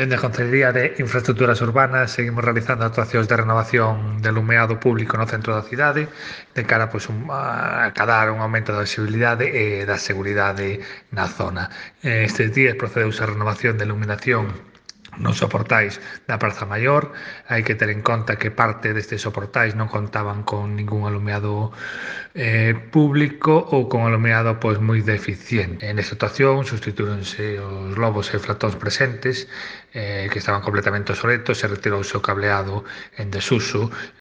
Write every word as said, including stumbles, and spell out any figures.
Dende a Concellería de Infraestructuras Urbanas seguimos realizando actuacións de renovación de alumeado público no centro da cidade de cara pois, un, a acadar un aumento da visibilidade e da seguridade na zona. Estes días procedeuse a renovación de iluminación nos soportais da Praza Maior. Hai que ter en conta que parte destes soportais non contaban con ningún alumeado eh, público ou con alumeado pois moi deficiente. En esta situación substituíronse os lobos e flatóns presentes eh, que estaban completamente obsoletos e retirouse o cableado en desuso